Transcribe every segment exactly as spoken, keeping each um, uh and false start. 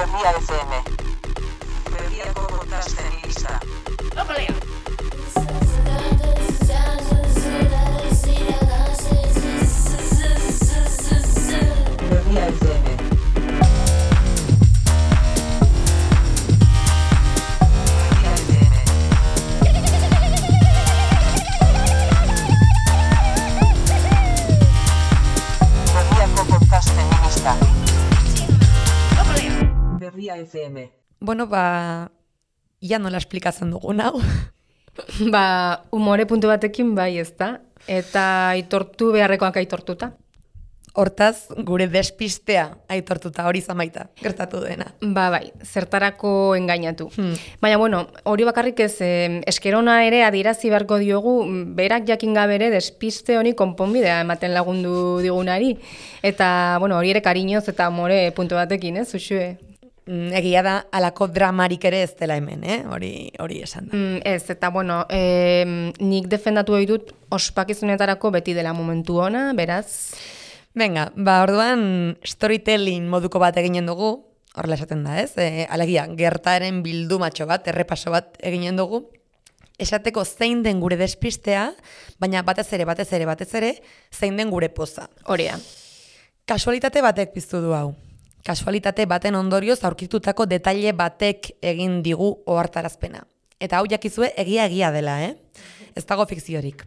Berria F M. Berriako podcast feminista. Opalea! Berria F M. Berria F M. Bueno, ba, ya nola esplikatzen dugun hau. Ba, umore puntu batekin bai ez da, eta aitortu beharrekoak aitortuta. Hortaz, gure despistea aitortuta hori zamaita, gertatu dena. Ba, bai, zertarako engainatu. Hmm. Baina, bueno, hori bakarrik ez, eh, eskerona ere adirazi beharko diogu, berak jakin gabere despiste honi konponbidea ematen lagundu digunari. Eta, bueno, hori ere kariñoz eta umore puntu batekin, ez, Uxue? Egia da, alako dramarik ere ez dela hemen, eh? hori, hori esan da. Mm, ez, eta bueno, eh, nik defendatu hori dut ospakizunetarako beti dela momentu ona, beraz... Venga, ba, orduan storytelling moduko bat eginen dugu, horrela esaten da, ez? E, alegia, gertaren bildumatxo bat, errepaso bat eginen dugu, esateko zein den gure despistea, baina batez ere, batez ere, batez ere, zein den gure poza. Horea. Kasualitate batek piztu du hau. Kasualitate baten ondorioz aurkitutako detaile batek egin digu ohartarazpena. Eta hau jakizue egia egia dela, eh? Ez dago fikziorik.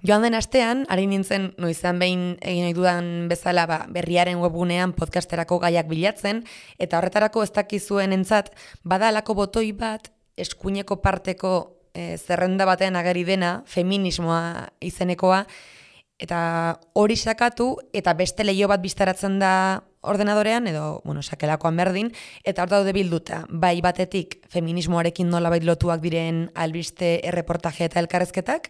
Joan den astean, ari nintzen noizan behin egin ohi dudan bezala ba, berriaren webgunean podcasterako gaiak bilatzen, eta horretarako ez dakizuen entzat, bada alako botoi bat, eskuineko parteko e, zerrenda batean ageri dena, feminismoa izenekoa, eta hori sakatu, eta beste leio bat bistaratzen da ordenadorean, edo, bueno, sakelakoan berdin, eta hor daude bilduta, bai batetik feminismoarekin nolabait lotuak diren albiste erreportaje eta elkarrezketak,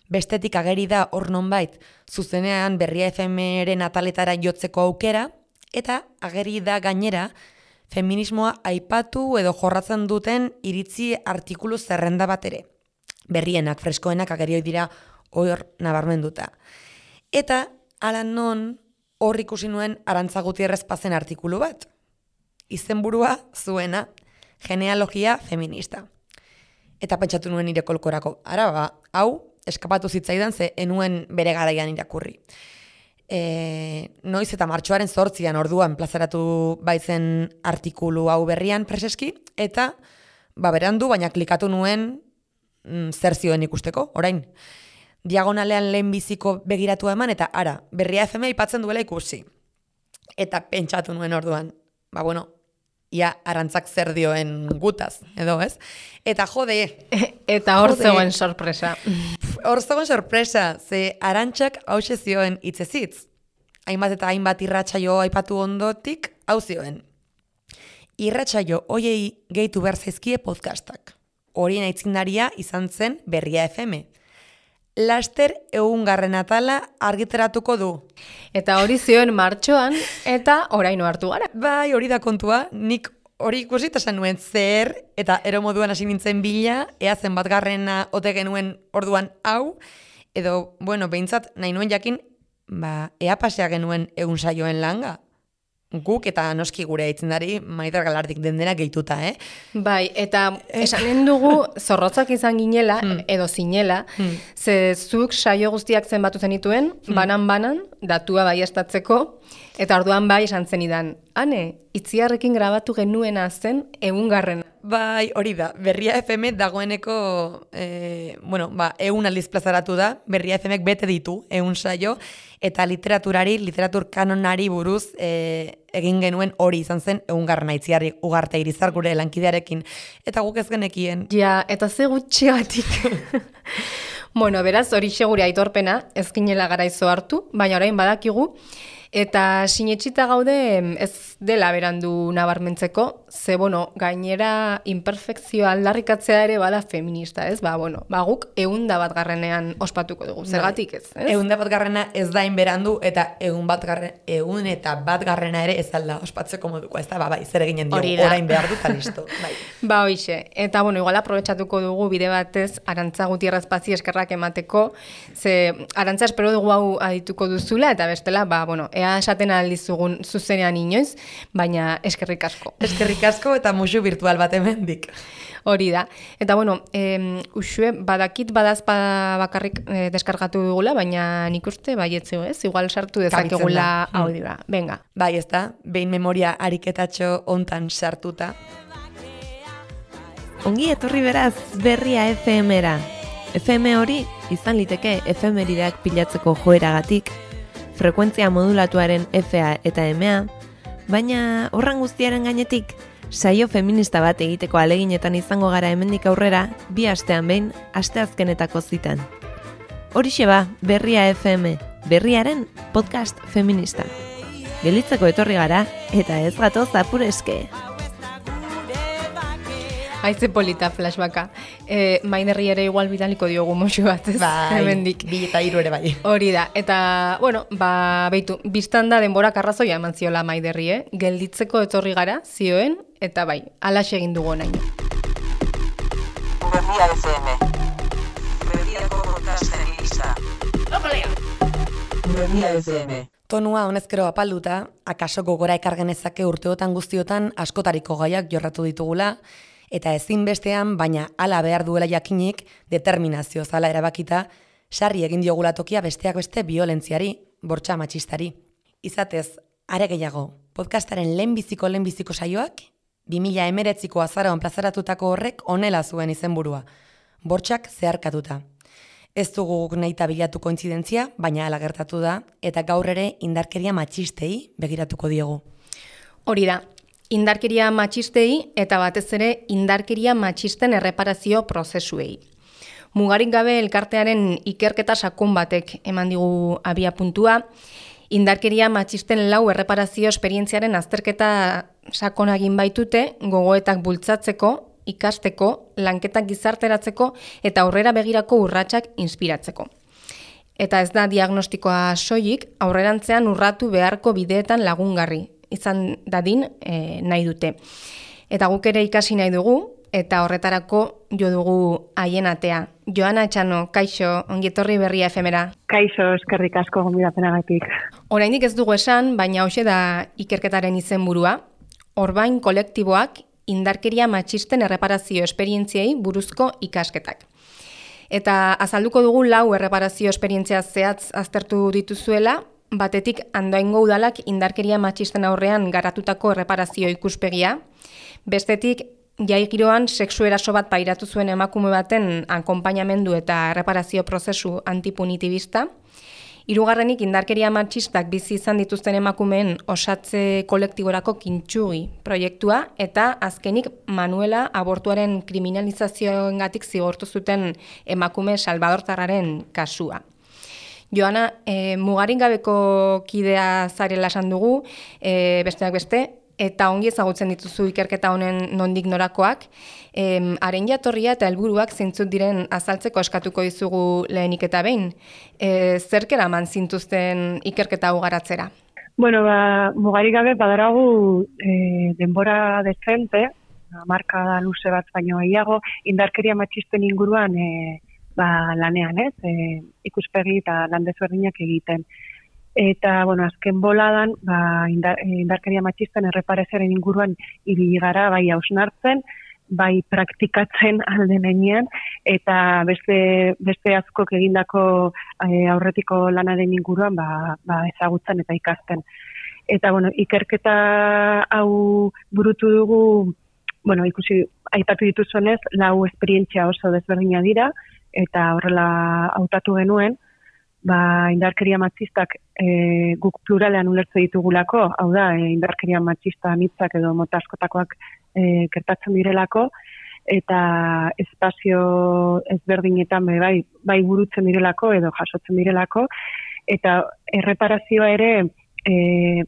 bestetik ageri da hor nonbait zuzenean Berria F M-ren ataletara jotzeko aukera, eta ageri da gainera feminismoa aipatu edo jorratzen duten iritzi artikulu zerrenda bat ere. Berrienak, freskoenak ageri dira hor nabarmenduta. Eta hala non hor ikusi nuen Arantza Gutierrez Pazen artikulu bat. Izenburua zuena, genealogia feminista. Eta pentsatu nuen nire kolkorako, ara ba, hau, eskapatu zitzaidan ze enuen bere garaian irakurri. E, noiz eta martxoaren zortzian orduan plazaratu baitzen artikulu hau berrian preseski, eta ba berandu, baina klikatu nuen mm, zer zioen ikusteko, orain. Diagonalean lehen biziko begiratu eman, eta ara, Berria F M aipatzen duela ikusi. Eta pentsatu nuen orduan, ba bueno, ia Arantzak zer dioen gutaz, edo ez? Eta jode... Eta hor zegoen sorpresa. Hor zegoen sorpresa, ze Arantzak hause zioen hitzezitz. Hainbat eta hainbat irratsaio aipatu ondotik, hau zioen. Irratsaio hoiei gehitu behar zaizkie podcastak. Horien aitzindaria izan zen Berria F M. Laster egungarren atala argitaratuko du. Eta hori zioen martxoan, eta oraino hartu gara. Bai, hori da kontua, nik hori ikusi eta esan nuen zer, eta ero moduan hasi nintzen bila, ea zen bat garrena ote genuen orduan hau, edo, bueno, behintzat nahi nuen jakin, ba, ea pasea genuen egun saioen langa. Guk eta noski gure aitzindari Maider Galardik den dena gehituta, eh? Bai, eta esanen dugu zorrotzak izan ginela, hmm. edo zinela, hmm. ze zuk saio guztiak zenbatu zenituen, hmm. banan-banan, datua baiestatzeko, eta orduan bai esan zenidan, ane, itziarrekin grabatu genuena zen egungarrena. Bai, hori da, Berria F M dagoeneko, e, bueno, ba, egun aldiz plazaratu da, Berria F Mek bete ditu, egun saio, eta literaturari, literatur kanonari buruz e, egin genuen hori izan zen egungarren aitziarri Ugarte Irizar gure lankidearekin. Eta guk ez genekien. Ja, eta ze gutxigatik. Bueno, beraz, hori segure aitorpena, ez ginela garaizo hartu, baina orain badakigu, eta sinetxita gaude ez dela berandu nabarmentzeko, ze, bueno, gainera imperfekzioa aldarrikatzea ere bada feminista, ez? Ba, bueno, ba, guk eunda bat garrenean ospatuko dugu, zergatik ez, ez? Eunda bat garrena ez da inberandu, eta egun bat garren, egun eta bat garrena ere ez alda ospatzeko moduko, ez da, ba, bai, zer eginen diogu, orain behar dut, listo, bai. Ba, hoixe, eta, bueno, igual aprobetxatuko dugu bide batez Arantza Gutierrez Pazi eskerrak emateko, ze Arantza espero dugu hau adituko duzula, eta bestela, ba, bueno, ea esaten aldizugun zuzenean inoiz, baina eskerrik asko. Eskerrik asko eta musu virtual bat hemendik. Hori da. Eta bueno, eh, usue, badakit badazpa bakarrik eh, deskargatu dugula, baina nik uste baietzu, ez? Igual sartu dezakegula audioa. Venga. Bai, ez da, behin memoria ariketatxo hontan sartuta. Ongi etorri beraz, berria F M-era. F M hori izan liteke efemerideak pilatzeko joeragatik, frekuentzia modulatuaren F A eta M A, baina horran guztiaren gainetik, saio feminista bat egiteko aleginetan izango gara hemendik aurrera, bi astean behin, asteazkenetako zitan. Horixe ba, berria F M, berriaren podcast feminista. Gelitzeko etorri gara, eta ez gatoz apureske. Haize polita flashbacka. E, Mainerri ere igual bidaliko diogu moxu bat, ez? Bai, hemendik. bi eta hiru ere bai. Hori da, eta, bueno, ba, beitu, biztan da denbora karrazoia eman ziola Maiderri, eh? Gelditzeko etorri gara, zioen, eta bai, alaxe egin dugu naino. Berria F M. Berriako podcasten gisa. Berria F M. Tonua honezkero apalduta, akaso gogora ekar genezake urteotan guztiotan askotariko gaiak jorratu ditugula, eta ezinbestean, baina hala behar duela jakinik, determinazio zala erabakita, sarri egin diogula tokia besteak beste biolentziari, bortxa matxistari. Izatez, are gehiago, podcastaren lehenbiziko lehenbiziko saioak, bi mila hemeretziko azaroan plazaratutako horrek honela zuen izenburua, bortxak zeharkatuta. Ez dugu nahita bilatu kointzidentzia, baina hala gertatu da, eta gaur ere indarkeria matxistei begiratuko diegu. Hori da, indarkeria matxistei eta batez ere indarkeria matxisten erreparazio prozesuei. Mugarik gabe elkartearen ikerketa sakon batek eman digu abia puntua, indarkeria matxisten lau erreparazio esperientziaren azterketa sakonagin baitute, gogoetak bultzatzeko, ikasteko, lanketak gizarteratzeko eta aurrera begirako urratsak inspiratzeko. Eta ez da diagnostikoa soilik, aurrerantzean urratu beharko bideetan lagungarri, izan dadin e, nahi dute. Eta guk ere ikasi nahi dugu, eta horretarako jo dugu haien atea. Joana Etxano, kaixo, ongietorri berria efemera. Kaixo, eskerrik asko gonbidapenagatik. Oraindik ez dugu esan, baina hoxe da ikerketaren izenburua. Orbain kolektiboak indarkeria matxisten erreparazio esperientziei buruzko ikasketak. Eta azalduko dugu lau erreparazio esperientzia zehatz aztertu dituzuela, batetik Andoaingo udalak indarkeria matxisten aurrean garatutako erreparazio ikuspegia, bestetik jai giroan sexu eraso bat pairatu zuen emakume baten akonpainamendu eta erreparazio prozesu antipunitibista, hirugarrenik indarkeria matxistak bizi izan dituzten emakumeen osatze kolektiborako kintsugi proiektua, eta azkenik Manuela abortuaren kriminalizazioengatik zigortu zuten emakume salvadortarraren kasua. Joana, e, mugarik gabeko kidea zarela esan dugu, e, besteak beste, eta ongi ezagutzen dituzu ikerketa honen nondik norakoak, e, haren jatorria eta helburuak zeintzuk diren azaltzeko eskatuko dizugu lehenik eta behin. E, zerkera eman zintuzten ikerketa hau garatzera? Bueno, ba, mugarik gabe badaragu e, denbora dezente, marka da luze bat baino gehiago, indarkeria matxisten inguruan e, ba, lanean, ez, e, ikuspegi eta lan desberdinak egiten. Eta, bueno, azken boladan, ba, indar, indarkeria matxisten erreparazioaren inguruan ibili gara, bai hausnartzen, bai praktikatzen aldenean, eta beste, beste askok egindako e, aurretiko lanaren inguruan ba, ba, ezagutzen eta ikasten. Eta, bueno, ikerketa hau burutu dugu, bueno, ikusi, aipatu dituzunez, lau esperientzia oso desberdina dira, eta horrela hautatu genuen, ba, indarkeria matxistak e, guk pluralean ulertze ditugulako, hau da, e, indarkeria matxista anitzak edo mota askotakoak e, gertatzen direlako, eta espazio ezberdinetan bai, bai burutzen direlako edo jasotzen direlako, eta erreparazioa ere e,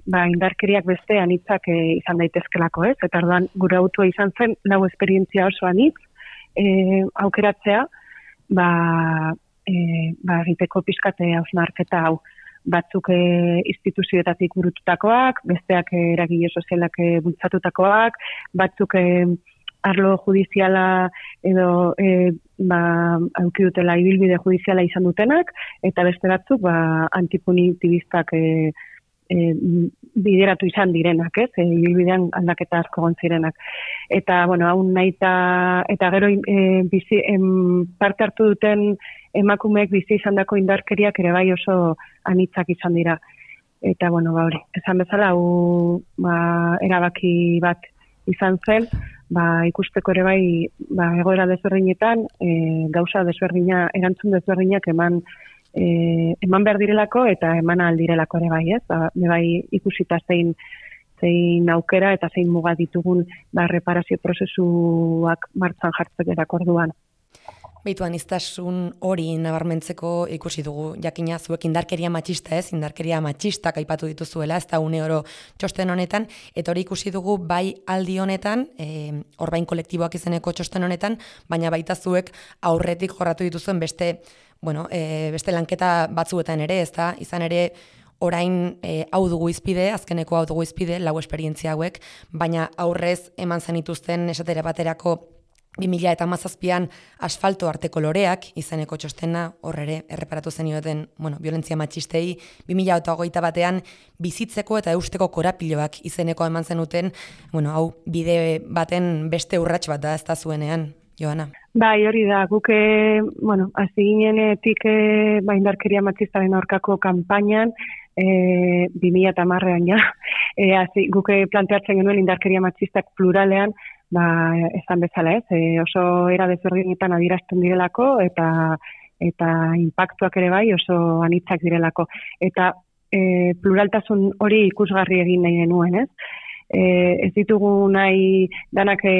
ba, indarkeriak beste anitzak e, izan daitezkelako, ez? Eta orduan gure autua izan zen lau esperientzia oso anitz e, aukeratzea, ba, e, ba, egiteko pixkate hausnarketa hau. Batzuk e, instituzioetatik burututakoak, besteak e, eragile sozialak e, bultzatutakoak, batzuk e, arlo judiziala edo e, ba, auki dutela ibilbide judiziala izan dutenak, eta beste batzuk ba, antipunitibistak e, e, bideratu izan direnak, ez? E, ibilbidean aldaketa asko egon zirenak. Eta, bueno, hau nahi eta, eta gero e, bizi, em, parte hartu duten emakumeek bizi izandako indarkeriak ere bai oso anitzak izan dira. Eta, bueno, ba, hori, esan bezala, hau ba, erabaki bat izan zen, ba, ikusteko ere bai, ba, egoera desberdinetan, e, gauza desberdina, erantzun desberdinak eman, e, eman behar direlako eta eman aldirelako ere bai, ez? Ba, bai ikusita zein, zein aukera eta zein muga ditugun ba, reparazio prozesuak martxan jartzeko orduan. Beitu, aniztasun hori nabarmentzeko ikusi dugu, jakina zuek indarkeria matxista ez, indarkeria matxistak aipatu dituzuela, ez da une oro txosten honetan, eta hori ikusi dugu bai aldi honetan, e, orbain kolektiboak izeneko txosten honetan, baina baita zuek aurretik jorratu dituzuen beste, bueno, e, beste lanketa batzuetan ere, ez da, izan ere, orain e, hau dugu izpide, azkeneko hau dugu izpide, lau esperientzia hauek, baina aurrez eman zenituzten esatera baterako bi mila hamazazpian asfalto arteko loreak, izeneko txostena, horre erreparatu zenioten, bueno, violentzia matxistei, bi mila hogeita batean bizitzeko eta eusteko korapiloak izeneko eman zenuten, bueno, hau bide baten beste urrats bat da ez da zuenean, Joana. Bai, hori da, guke, bueno, hasi ginenetik e, ba, indarkeria matxistaren aurkako kanpainan, e, bi mila hamarrean ja, e, hasi, guke planteatzen genuen indarkeria matxistak pluralean, ba, esan bezala ez, e, oso era desberdinetan adierazten direlako eta eta inpaktuak ere bai oso anitzak direlako. Eta e, pluraltasun hori ikusgarri egin nahi genuen, ez? E, ez ditugu nahi danak e,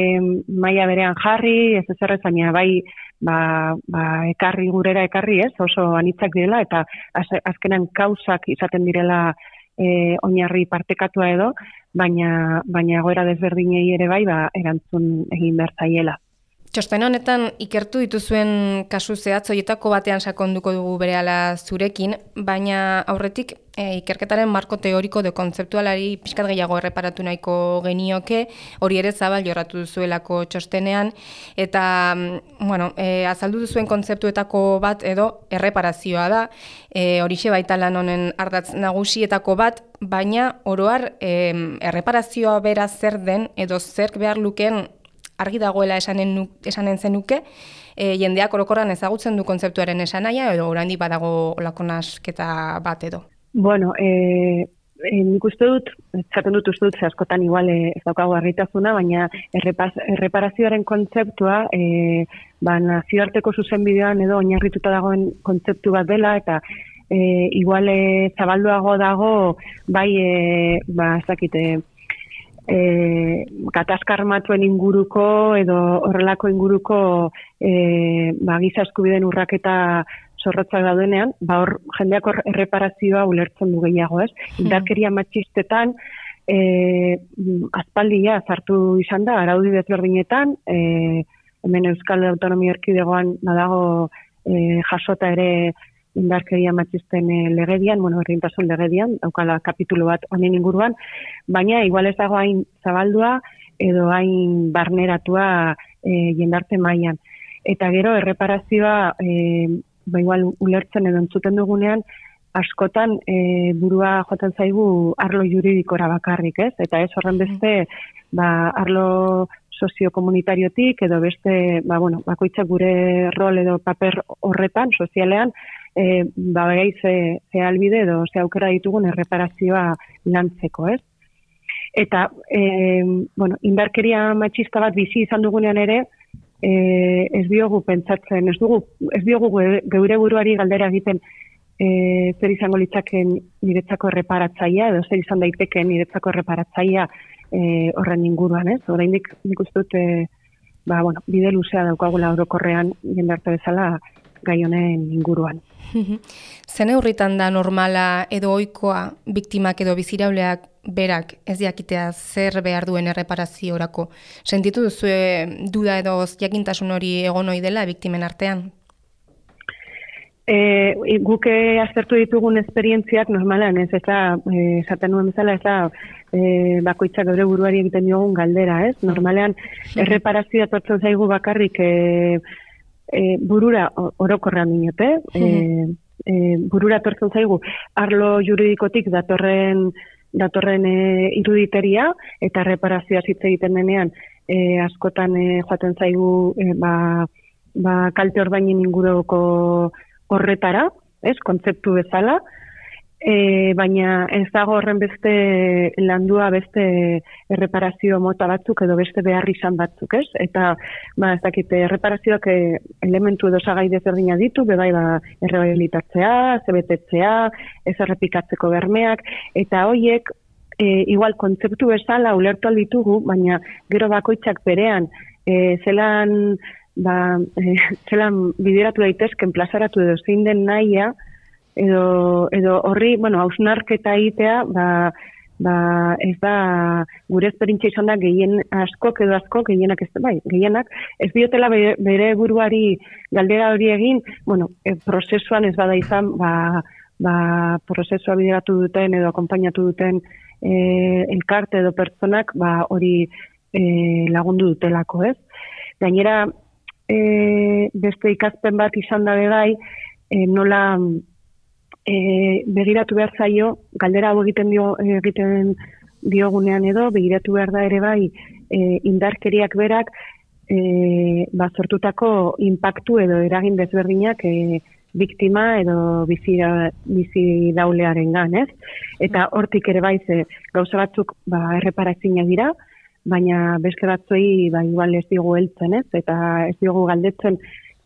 maila berean jarri, ez ezerrez, baina bai ba, ba, ekarri gurera ekarri, ez? Oso anitzak direla eta az, azkenan kausak izaten direla E, oinarri partekatua edo, baina baina egoera desberdinei ere bai ba, erantzun egin behar zaiela. Txosten honetan ikertu dituzuen kasu zehatz horietako batean sakonduko dugu berehala zurekin, baina aurretik e, ikerketaren marko teoriko de kontzeptualari pixkat gehiago erreparatu nahiko genioke, hori ere zabal jorratu duzuelako txostenean, eta bueno, e, azaldu duzuen kontzeptuetako bat edo erreparazioa da, e, horixe baita lan honen ardatz nagusietako bat, baina oroar e, erreparazioa bera zer den edo zerk behar luken argi dagoela esanen, esanen zenuke, e, jendeak orokorran ezagutzen du kontzeptuaren esanaia, edo oraindik badago olako nasketa bat edo. Bueno, e, e, nik uste dut, zaten dut uste dut, ze askotan igual e, ez daukagu argitasuna, baina errepas, erreparazioaren kontzeptua, e, ba, nazioarteko zuzenbidean edo oinarrituta dagoen kontzeptu bat dela, eta e, igual e, zabalduago dago, bai, e, ba, ez dakite, E, gatazka armatuen inguruko edo horrelako inguruko e, ba, giza eskubideen urraketa zorrotzak daudenean, ba hor jendeak hor erreparazioa ulertzen du gehiago, ez? Indarkeria matxistetan e, aspaldia sartu izan da araudi desberdinetan, e, hemen Euskal Autonomia Erkidegoan badago e, jasota ere indarkeria matxisten legedian, bueno, herrientasun legedian, daukala kapitulu bat honen inguruan, baina igual ez dago hain zabaldua edo hain barneratua e, jendarte mailan. Eta gero erreparazioa e, ba igual ulertzen edo entzuten dugunean, askotan e, burua joaten zaigu arlo juridikora bakarrik, ez? Eta ez horren beste ba, arlo soziokomunitariotik edo beste, ba, bueno, bakoitzak gure rol edo paper horretan, sozialean, e, ba, begai ze, ze albide edo ze aukera ditugun erreparazioa lantzeko, ez? Eta, e, bueno, indarkeria matxista bat bizi izan dugunean ere, e, ez diogu pentsatzen, ez dugu, ez diogu geure buruari galdera egiten e, zer izango litzaken niretzako erreparatzaia, edo zer izan daiteken niretzako erreparatzaia e, horren inguruan, ez? Oraindik nik uste dut, e, ba, bueno, bide luzea daukagula orokorrean jendarte bezala gai honen inguruan. Zen neurritan da normala edo ohikoa biktimak edo bizirauleak berak ez jakitea zer behar duen erreparaziorako? Sentitu duzu duda edo jakintasun hori egon ohi dela biktimen artean? E, guke aztertu ditugun esperientziak normalan, ez ez da, e, esaten nuen bezala, ez da, e, bakoitzak geure buruari egiten diogun galdera, ez? Normalean, erreparazioa tortzen zaigu bakarrik e, e, burura orokorrean dinote, e, e, burura tortzen zaigu arlo juridikotik datorren datorren e, iruditeria eta reparazioa hitz egiten denean e, askotan e, joaten zaigu e, ba, ba, kalte ordainen inguruko horretara, ez, kontzeptu bezala, e, baina ez dago horren beste landua beste erreparazio mota batzuk edo beste behar izan batzuk, ez? Eta, ba, ez dakit, erreparazioak e, elementu edo sagai desberdina ditu, bebai, ba, errehabilitatzea, zebetetzea, ez errepikatzeko bermeak, eta hoiek, e, igual, kontzeptu bezala ulertu alditugu, baina gero bakoitzak berean, e, zelan, ba, e, zelan bideratu daitezken, plazaratu edo zein den nahia, edo, edo horri, bueno, hausnarketa egitea, ba, ba, ez da, gure esperientzia izan da gehien askok edo askok, gehienak ez, bai, gehienak, ez diotela bere, bere buruari galdera hori egin, bueno, e, prozesuan ez bada izan, ba, ba, prozesua bideratu duten edo akompainatu duten e, elkarte edo pertsonak, ba, hori e, lagundu dutelako, ez? Gainera, e, beste ikaspen bat izan da bai, e, nola e, begiratu behar zaio, galdera hau egiten dio egiten diogunean edo, begiratu behar da ere bai, e, indarkeriak berak, e, ba, sortutako inpaktu edo eragin desberdinak e, biktima edo bizi, bizi daulearen gan, ez? Eta hortik ere bai, ze, gauza batzuk ba, erreparazinak dira, baina beste batzuei ba, igual ez diogu heltzen, ez? Eta ez diogu galdetzen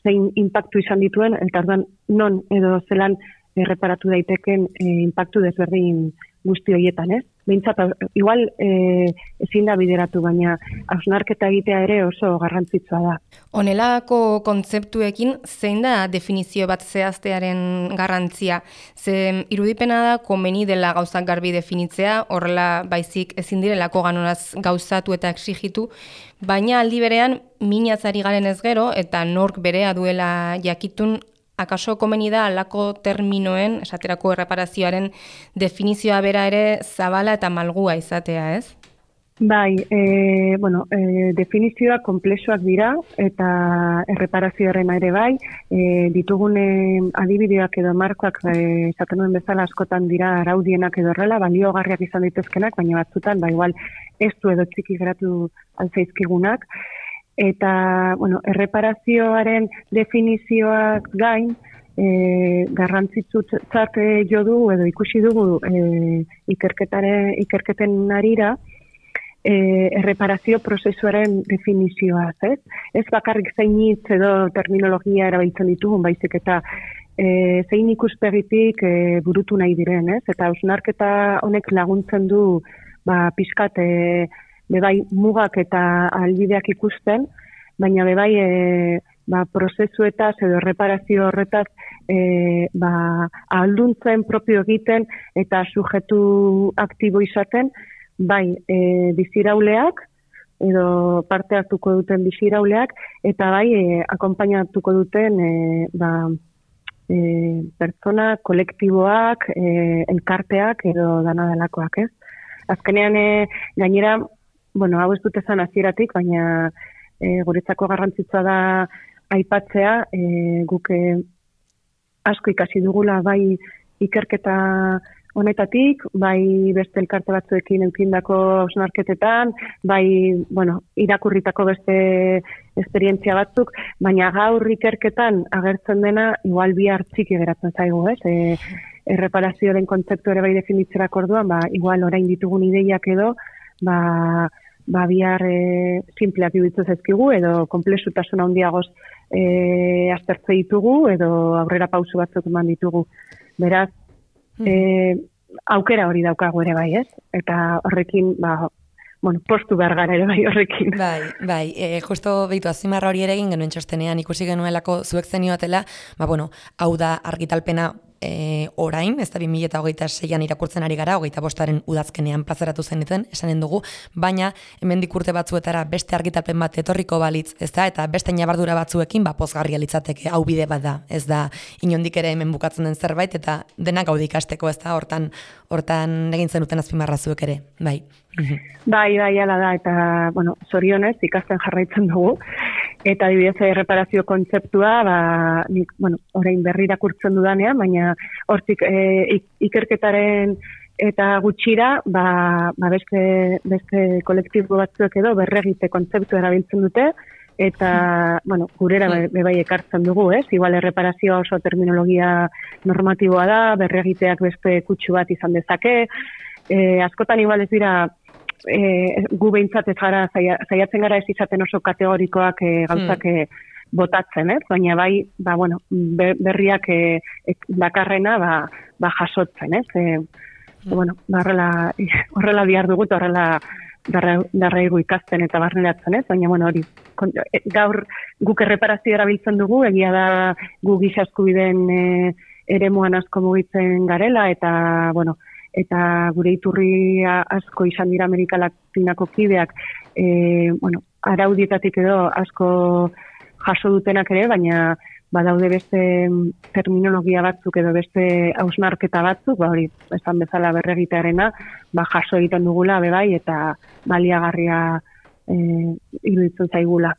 zein inpaktu izan dituen, eta orduan non edo zelan erreparatu daiteken e, inpaktu desberdin guzti horietan, ez? Behintzat, igual e, ezin da bideratu, baina hausnarketa egitea ere oso garrantzitsua da. Honelako kontzeptuekin zein da definizio bat zehaztearen garrantzia? Ze irudipena da komeni dela gauzak garbi definitzea, horrela baizik ezin direlako ganonaz gauzatu eta exigitu, baina aldi berean minatzari garen ez gero eta nork berea duela jakitun, akaso komeni da alako terminoen, esaterako erreparazioaren definizioa bera ere zabala eta malgua izatea, ez? Bai, e, bueno, e, definizioak konplexuak dira eta erreparazioaren ere bai, e, ditugune adibideak edo markoak e, esaten duen bezala askotan dira araudienak edo horrela, baliogarriak izan daitezkenak, baina batzutan, ba igual ez du edo txiki geratu altzaizkigunak. Eta, bueno, erreparazioaren definizioak gain, e, garrantzitsutzat jo du edo ikusi dugu e, ikerketare, ikerketen arira, e, erreparazio prozesuaren definizioaz, ez? Ez bakarrik zein hitz edo terminologia erabiltzen ditugun, baizik eta e, zein ikuspegitik e, burutu nahi diren, ez? Eta hausnarketa honek laguntzen du, ba, pixkat, e, bebai mugak eta albideak ikusten, baina bebai e, ba, prozesuetaz edo reparazio horretaz e, ba, ahalduntzen propio egiten eta sujetu aktibo izaten, bai e, bizirauleak edo parte hartuko duten bizirauleak eta bai e, akonpainatuko duten e, ba, e, pertsona, kolektiboak, e, elkarteak edo dana delakoak, ez? Azkenean e, gainera, bueno, hau ez dut esan hasieratik, baina e, guretzako garrantzitsua da aipatzea, e, guk e, asko ikasi dugula bai ikerketa honetatik, bai beste elkarte batzuekin eukindako hausnarketetan, bai, bueno, irakurritako beste esperientzia batzuk, baina gaur ikerketan agertzen dena igual bihar txiki geratzen zaigu, ez? E, erreparazioaren kontzeptu ere bai definitzerako orduan, ba, igual orain ditugun ideiak edo, ba, ba bihar e, simpleak iruditzen zaizkigu edo konplexutasun handiagoz e, aztertze ditugu edo aurrera pausu batzuk eman ditugu. Beraz, e, aukera hori daukagu ere bai, ez? Eta horrekin, ba, bueno, postu behar gara ere bai horrekin. Bai, bai, e, justo behitu azimarra hori ere egin genuen txostenean ikusi genuelako zuek zenioatela, ba, bueno, hau da argitalpena E, orain, ez da bi mila hogeita seian irakurtzen ari gara, hogeita bostaren udazkenean plazaratu zeniten, esanen dugu, baina hemendik urte batzuetara beste argitalpen bat etorriko balitz, ez da, eta beste nabardura batzuekin, ba, pozgarria litzateke, hau bide bat da, ez da, inondik ere hemen bukatzen den zerbait, eta denak gaude ikasteko, ez da, hortan, hortan egin zenuten azpimarra zuek ere, bai. Bai, bai, ala da, eta, bueno, zorionez, ikasten jarraitzen dugu, Eta adibidez erreparazio kontzeptua, ba, nik, bueno, orain berri irakurtzen dudanean, baina hortik e, ikerketaren eta gutxira, ba, ba beste, beste kolektibo batzuek edo berregite kontzeptu erabiltzen dute, eta, bueno, gurera bebai ekartzen dugu, ez? Igual erreparazioa oso terminologia normatiboa da, berregiteak beste kutsu bat izan dezake, e, askotan igual ez dira, e, gu behintzat ez gara, zaiatzen gara ez izaten oso kategorikoak e, gauzak e, botatzen, ez? Baina bai, ba, bueno, berriak e, e, bakarrena, ba, ba jasotzen, ez? E, bueno, ba, horrela, horrela bihar dugut, horrela darraigu ikasten eta barneratzen, ez? Baina, bueno, hori, gaur guk erreparazio erabiltzen dugu, egia da gu giza eskubideen e, eremuan asko mugitzen garela, eta, bueno, eta gure iturri asko izan dira Amerika Latinako kideak, e, bueno, araudietatik edo asko jaso dutenak ere, baina badaude beste terminologia batzuk edo beste hausnarketa batzuk, ba hori, esan bezala berregitearena, ba jaso egiten dugula bebai eta baliagarria e, iruditzen zaigula.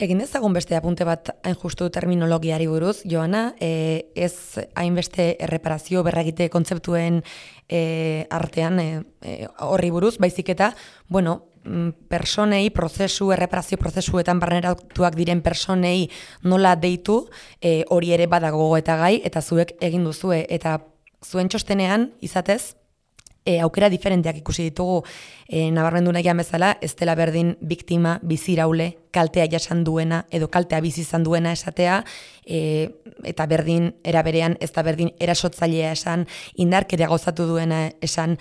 Egin dezagun beste apunte bat hain justu terminologiari buruz, Joana, e, ez hainbeste erreparazio berregite kontzeptuen e, artean e, e, horri buruz, baizik eta, bueno, personei, prozesu, erreparazio prozesuetan barneratuak diren personei nola deitu, e, hori ere badago eta gai, eta zuek egin duzue, eta zuen txostenean, izatez, E, aukera diferenteak ikusi ditugu, e, nabarmendu nahian bezala, ez dela berdin biktima, biziraule, kaltea jasan duena, edo kaltea bizi izan duena esatea, e, eta berdin eraberean, ez da berdin erasotzailea esan, indarkeria gozatu duena esan,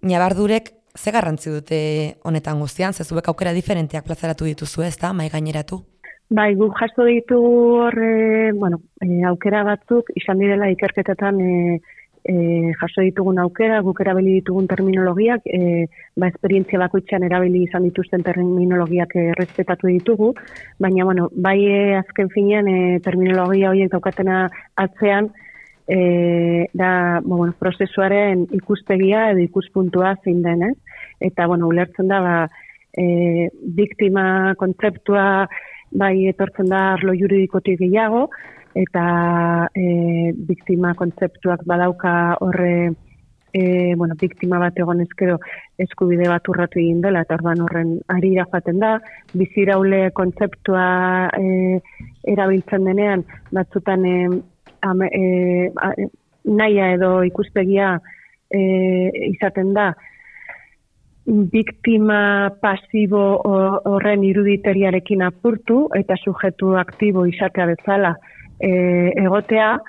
nabardurek ze garrantzi dute honetan guztian, zezuek aukera diferenteak plazaratu dituzu, ez da, mai gaineratu? Bai, guk jaso ditugu horre, bueno, e, aukera batzuk, izan direla ikerketetan e, E, jaso ditugun aukera, guk erabili ditugun terminologiak, e, ba, esperientzia bakoitzean erabili izan dituzten terminologiak errespetatu ditugu, baina, bueno, bai e, azken finean e, terminologia horiek daukatena atzean, e, da, bueno, prozesuaren ikuspegia edo ikuspuntua zein den, ez? Eta, bueno, ulertzen da, ba, e, biktima kontzeptua bai etortzen da arlo juridikotik gehiago, eta e, biktima kontzeptuak badauka horre, e, bueno, biktima bat egon ezkero eskubide bat urratu egin dela, eta orban horren arira joaten da, biziraule kontzeptua e, erabiltzen denean, batzutan e, ame, e, a, nahia edo ikuspegia e, izaten da, biktima pasibo horren iruditeriarekin apurtu, eta sujetu aktibo izatea bezala, E, egotea,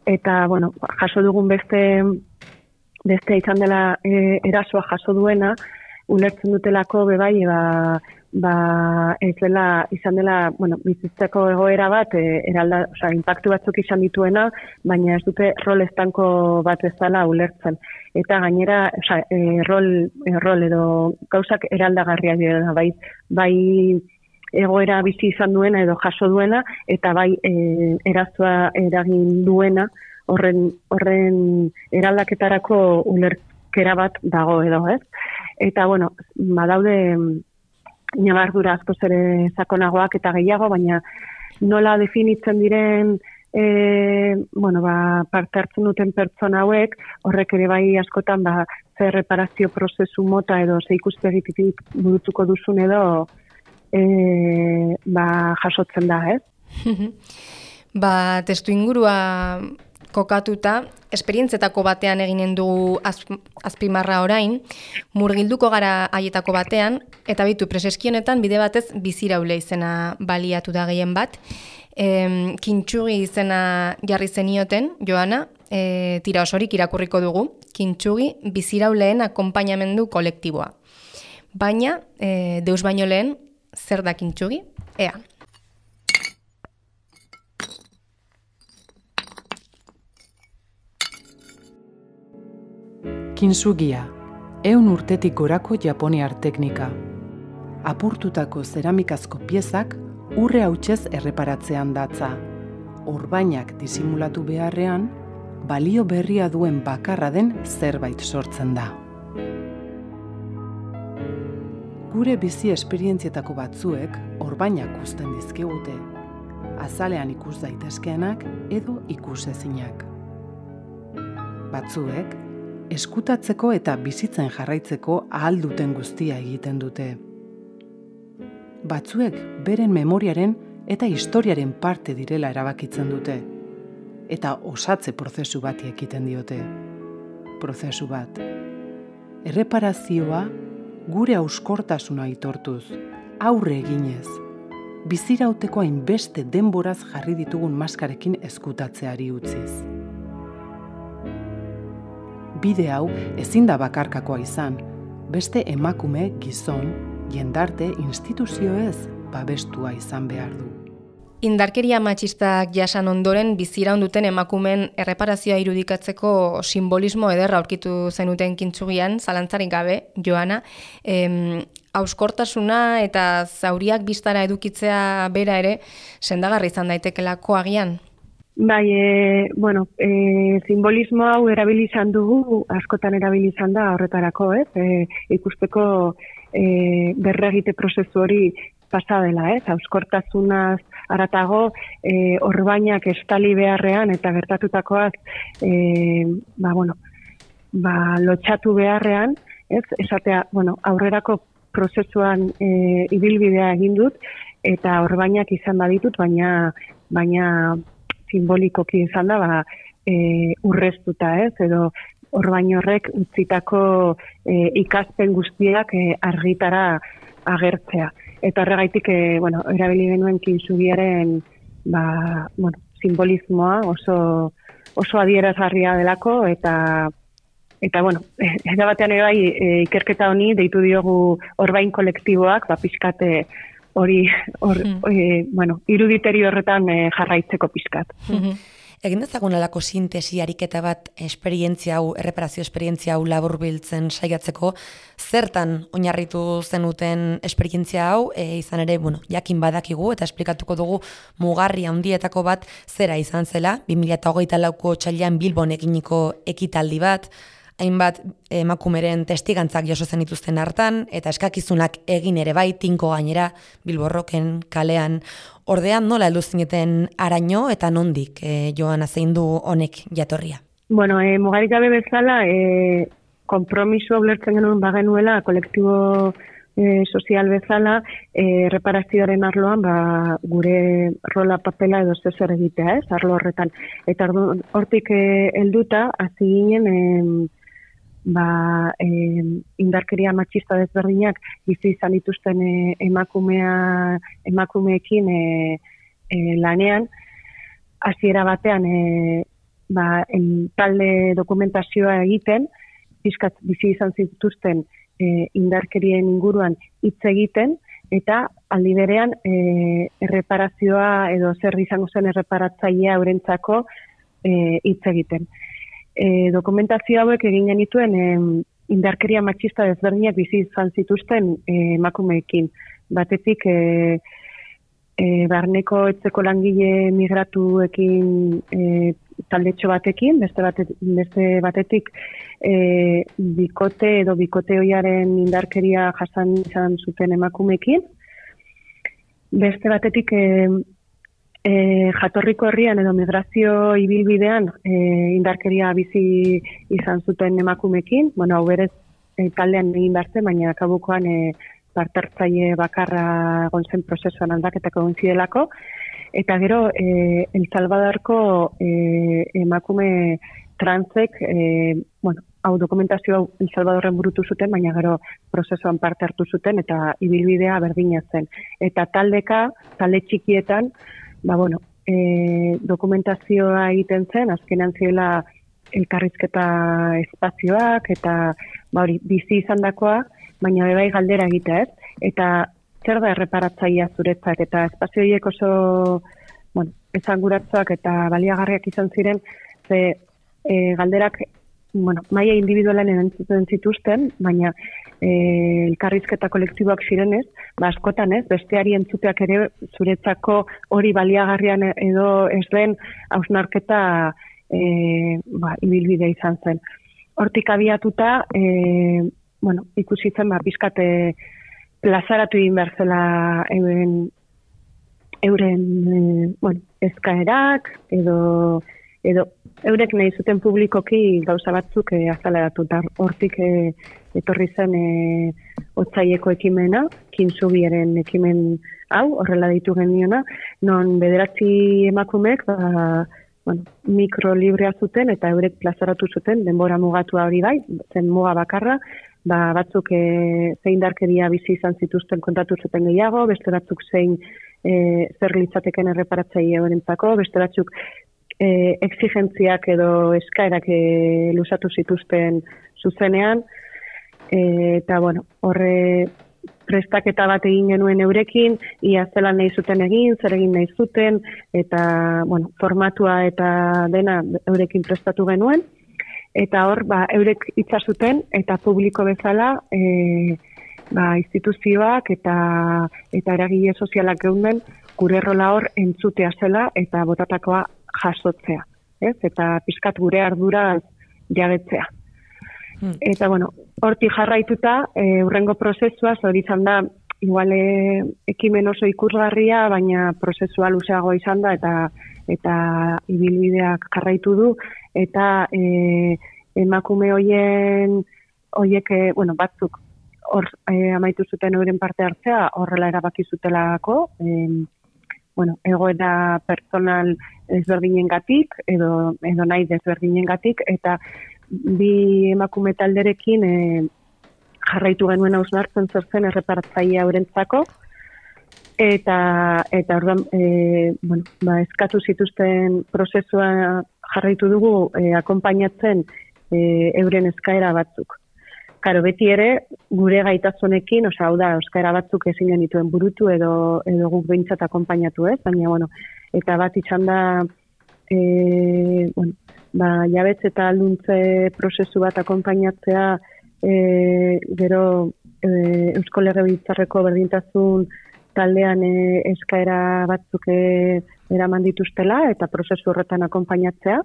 eta, bueno, jaso dugun beste, beste izan dela e, erasoa jaso duena, ulertzen dutelako bebai, ba, ba, ez dela, izan dela, bueno, bizitzeko egoera bat, e, eralda, oza, impactu batzuk izan dituena, baina ez dute rol estanko bat ez dela ulertzen. Eta gainera, oza, e, rol, e, rol edo gauzak eraldagarriak dira, bai, bai, egoera bizi izan duena edo jaso duena, eta bai e, erazoa eragin duena, horren, horren eraldaketarako ulerkera bat dago edo, ez? Eta, bueno, badaude nabardura askoz ere sakonagoak eta gehiago, baina nola definitzen diren e, bueno, ba, parte hartzen duten pertsona hauek, horrek ere bai askotan ba, ze reparazio prozesu mota edo ze ikuspegitik burutuko duzun edo E, ba, jasotzen da, ez? Ba, testu ingurua kokatuta, esperientzetako batean eginen dugu az, azpimarra orain, murgilduko gara haietako batean, eta bitu preseskionetan bide batez biziraule izena baliatu da gehien bat, e, kintsugi izena jarri zenioten, Joana, e, tira osorik irakurriko dugu, kintsugi bizirauleen akonpainamendu kolektiboa. Baina, e, deus baino lehen, zer da kintsugi? Ea. Kintsugia, ehun urtetik gorako japoniar teknika. Apurtutako zeramikazko piezak urre hautsez erreparatzean datza. Orbainak disimulatu beharrean, balio berria duen bakarra den zerbait sortzen da. Gure bizi esperientzietako batzuek orbainak uzten dizkigute, azalean ikus daitezkeenak edo ikusezinak. Batzuek, eskutatzeko eta bizitzen jarraitzeko ahal duten guztia egiten dute. Batzuek beren memoriaren eta historiaren parte direla erabakitzen dute, eta osatze prozesu bati ekiten diote. Prozesu bat. Erreparazioa gure hauskortasuna aitortuz, aurre eginez, bizirauteko hainbeste denboraz jarri ditugun maskarekin ezkutatzeari utziz. Bide hau ezin da bakarkakoa izan, beste emakume, gizon, jendarte, instituzioez babestua izan behar du. Indarkeria matxistak jasan ondoren biziraun duten emakumen erreparazioa irudikatzeko simbolismo ederra aurkitu zenuten kintsugian, zalantzarik gabe, Joana, em, hauskortasuna eta zauriak biztara edukitzea bera ere sendagarri izan daitekelako agian? Bai, e, bueno, e, simbolismo hau erabili izan dugu, askotan erabili izan da horretarako, ez? E, ikusteko e, berregite prozesu hori pasa dela, ez? Hauskortasunaz haratago, e, orbainak estali beharrean eta gertatutakoaz e, ba, bueno, ba, lotxatu beharrean, ez? Esatea, bueno, aurrerako prozesuan e, ibilbidea egin dut eta orbainak izan baditut, baina baina simbolikoki izan da, ba, e, urreztuta, ez? Edo orbain horrek utzitako e, ikaspen guztiak e, argitara agertzea. Eta horregaitik, e, bueno, erabili genuen kintsugiaren ba, bueno, simbolismoa oso, oso adierazgarria delako, eta eta bueno, era batean ere bai e, ikerketa honi deitu diogu orbain kolektiboak, ba pixkate hori or, mm. e, bueno, iruditeri horretan e, jarraitzeko pixkat. Mm-hmm. Egin dezagun alako sintesi ariketa bat esperientzia hau, erreparazio esperientzia hau laburbiltzen saiatzeko, zertan oinarritu zenuten esperientzia hau, e, izan ere, bueno, jakin badakigu eta esplikatuko dugu mugarri handietako bat zera izan zela, bi mila hogeita lauko otsailean Bilbon eginiko ekitaldi bat, hainbat emakumeren testigantzak jaso zen dituzten hartan, eta eskakizunak egin ere bai, tinko gainera, Bilborroken, kalean. Ordean nola heldu zineten araño eta nondik e, Joana zein du honek jatorria? Bueno, e, mugarik gabe bezala, e, konpromiso ulertzen genuen bagenuela, kolektibo e, sozial bezala, e, reparazioaren arloan, ba, gure rola papela edo zezer egitea, ez, arlo horretan. Eta hortik e, helduta, hasi ginen, e, ba, e, indarkeria matxista desberdinak bizi izan dituzten e, emakumea, emakumeekin e, e, lanean, hasiera batean e, ba, en, talde dokumentazioa egiten, pixkat bizi izan zituzten e, indarkerien inguruan hitz egiten, eta aldi berean e, erreparazioa edo zer izango zen erreparatzailea eurentzako e, hitz egiten. E, dokumentazio hauek egin genituen e, indarkeria matxista desberdinak bizi izan zituzten e, emakumeekin. Batetik e, e, barneko etzeko langile migratuekin e, taldetxo batekin, beste, bate, beste batetik e, bikote edo bikote hoiaren indarkeria jasan izan zuten emakumeekin. Beste batetik e, E, jatorriko herrian edo migrazio ibilbidean e, indarkeria bizi izan zuten emakumekin, bueno, hau berez e, taldean egin behar, baina kabukoan e, partartzaile bakarra gontzen prozesuan aldaketako gonzidelako, eta gero e, El Salvadorko e, emakume transek, e, bueno, hau dokumentazio hau El Salvadorren burutu zuten, baina gero prozesuan parte hartu zuten, eta ibilbidea berdina zen. Eta taldeka, talde txikietan, ba, bueno, e, dokumentazioa egiten zen, azkenean ziela elkarrizketa espazioak, eta ba, hori, bizi izan dakoa, baina bebai galdera egitea, ez? Eta zer da erreparatzailea zuretzak, eta espazio horiek oso, bueno, esanguratsuak eta baliagarriak izan ziren, ze e, galderak, bueno, maila individualen erantzuten zituzten, baina e, elkarrizketa kolektiboak zirenez, ba, askotan ez, besteari entzuteak ere zuretzako hori baliagarrian edo ez den hausnarketa e, ba, ibilbide izan zen. Hortik abiatuta, e, bueno, ikusi zen, ba, bizkate plazaratu egin behar zela euren, euren e, bueno, eskaerak, edo, edo eurek nahi zuten publikoki gauza batzuk e, azaleratu, eta hortik e, etorri zen e, otsaieko ekimena, kintzubiaren ekimen hau, horrela ditu geniona, non bederatzi emakumek, ba, bueno, mikrolibrea zuten eta eurek plazaratu zuten, denbora mugatua hori bai, zen muga bakarra, ba, batzuk e, zein darkeria bizi izan zituzten kontatu zuten gehiago, beste batzuk zein e, zer litzateken erreparatzaile eurentzako, beste batzuk e, exigentziak edo eskaerak e, lusatu zituzten zuzenean, e, eta bueno, horre prestaketa bat egin genuen eurekin, ia zelan nahi zuten egin, zer egin nahi zuten, eta bueno, formatua eta dena eurekin prestatu genuen, eta hor, ba, eurek hitza zuten, eta publiko bezala, e, ba, instituzioak eta eta eragile sozialak geunden, gure rola hor entzutea zela, eta botatakoa jasotzea, ez? Eta pizkat gure ardura jabetzea. Hmm. Eta, bueno, hortik jarraituta, e, urrengo prozesua, hori izan da, igual e, ekimen oso ikusgarria, baina prozesua luzeago izan da, eta eta ibilbideak jarraitu du, eta e, emakume hoien, hoiek, e, bueno, batzuk, hor e, amaitu zuten euren parte hartzea, horrela erabaki zutelako, e, bueno, egoera personal desberdinengatik, edo, edo nahi desberdinengatik, eta bi emakume talderekin e, jarraitu genuen hausnartzen zer zen erreparatzailea eurentzako, eta eta orduan e, bueno, ba, eskatu zituzten prozesua jarraitu dugu e, akonpainatzen e, euren eskaera batzuk. Karo, beti ere, gure gaitasunekin, osea, hau da, eskaera batzuk ezin genituen burutu edo edo guk behintzat akonpainatu, ez? Baina, bueno, eta bat izan da, e, bueno, ba, jabetze eta alduntze prozesu bat akonpainatzea, e, gero e, Eusko Legebiltzarreko berdintasun taldean e, eskaera batzuk e, eraman dituztela eta prozesu horretan akonpainatzea.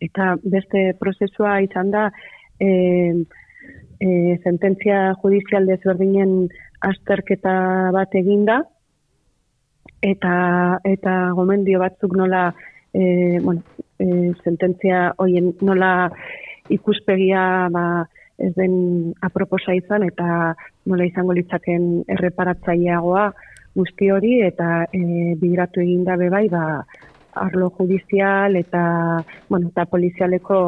Eta beste prozesua izan da e, e, sententzia judizial desberdinen azterketa bat eginda eta eta gomendio batzuk nola e, bueno, e, sententzia hoien nola ikuspegia ba, ez den aproposa izan eta nola izango litzaken erreparatzaileagoa guzti hori eta e, bigiratu eginda bebai ba, arlo judizial eta bueno, eta polizialeko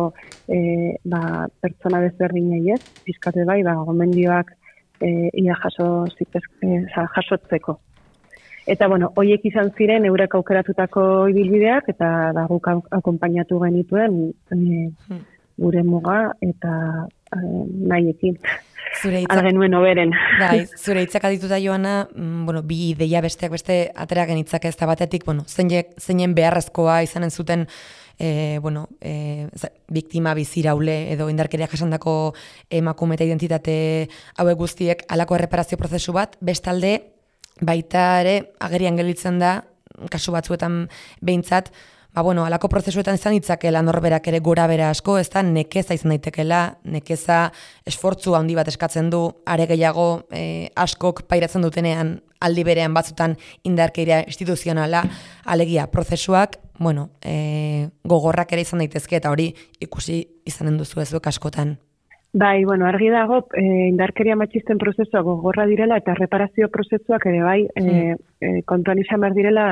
e, ba, pertsona desberdinei ez, pizkate bai, ba, gomendioak e, ia jaso zitez, e, jasotzeko. Eta bueno, hoiek izan ziren eurek aukeratutako ibilbideak eta da guk akonpainatu genituen e, gure muga eta e, nahiekin. Zure hitzak algenuen oberen. Bai, zure hitzak adituta Joana, mm, bueno, bi ideia besteak beste atera genitzak ez da batetik, bueno, zeinen beharrezkoa izanen zuten e, bueno, e, biktima biziraule edo indarkeria jasandako emakume eta identitate hauek guztiek halako erreparazio prozesu bat, bestalde baita ere agerian gelditzen da kasu batzuetan behintzat, ba, bueno, alako prozesuetan izan ditzakela norberak ere gora bera asko, ez da nekeza izan daitekela, nekeza esfortzu handi bat eskatzen du, are gehiago e, askok pairatzen dutenean aldi berean batzutan indarkeria instituzionala, alegia prozesuak, bueno, e, gogorrak ere izan daitezke eta hori ikusi izanen duzu ezuek askotan. Bai, bueno, argi dago, e, indarkeria matxisten prozesua gogorra direla eta reparazio prozesuak ere bai, mm. e, e, kontuan izan behar direla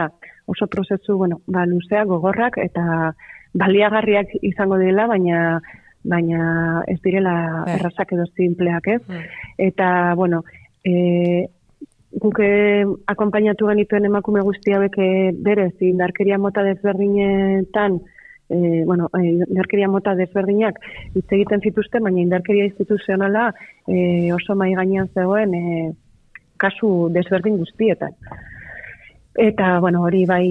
oso prozesu, bueno, ba, luzea, gogorrak eta baliagarriak izango direla, baina baina ez direla yeah. errazak edo simpleak, ez? Mm. Eta, bueno, e, guk akonpainatu genituen emakume guzti hauek berez, indarkeria mota desberdinetan, E, bueno, indarkeria mota desberdinak hitz egiten zituzten, baina indarkeria instituzionala e, oso mai gainean zegoen e, kasu desberdin guztietan. Eta, bueno, hori bai,